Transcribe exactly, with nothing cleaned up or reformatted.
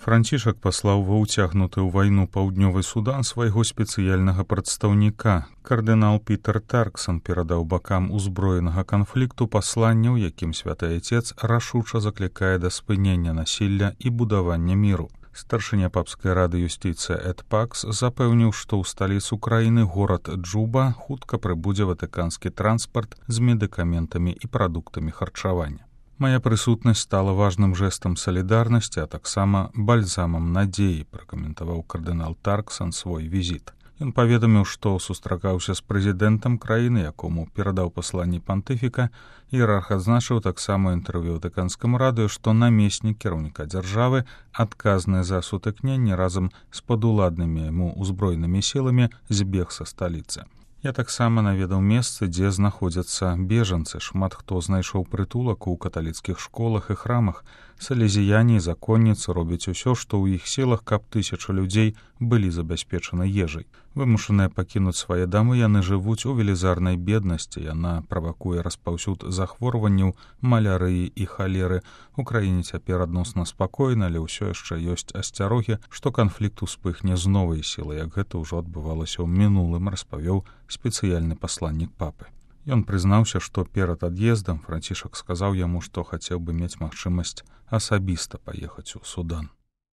Францішак паслаў ва ўцягнуты ў вайну паўднёвы Судан свайго спецыяльнага прадстаўніка. Кардынал Пітер Тарксон перадаў бакам узброенага канфлікту пасланне, у якім святы айцец рашуча заклікае да спынення насілля і будавання міру. Старшыня папскай рады юстыцыя Эд Пакс запэўніў, што ў сталіцу краіны горад Джуба хутка прыбудзе ватыканскі транспарт з медыкаментамі і прадуктамі харчавання. Мая прысутнасць стала важным жэстам салідарнасці, а таксама бальзамам надзеі, пракаментаваў кардынал Тарксон свой візіт. Ён паведаміў, што сустракаўся з прэзідэнтам краіны, якому перадаў пасланне пантыфіка, іерарх адзначыў таксама інтэрв'ю ватыканскаму радыё, што намеснік кіраўніка дзяржавы, адказны за сутыкненне разам з падуладнымі яму ўзброенымі сіламі, збег са сталіцы. Я таксама наведаў месцы, дзе знаходзяцца бежанцы. Шмат хто знайшоў прытулак у каталіцкіх школах і храмах. Салезіяне і законніцы робяць усё, што ў іх сілах, каб тысячы людзей былі забяспечаны ежай. Вымушаныя пакінуць свае дамы, яны жывуць у велізарнай беднасці. Яна правакуе распаўсюд захворванняў, малярыі і халеры. У краіне цяпер адносна спакойна, але ўсё яшчэ ёсць асцярогі, што канфлікт успыхне з новай сілай, як гэта ўжо адбывалася ў мінулым, распавёў спецыяльны пасланнік папы. Ён прызнаўся, што перад ад'ездам Францішак сказаў яму, што хацеў бы мець магчымасць асабіста паехаць у Судан.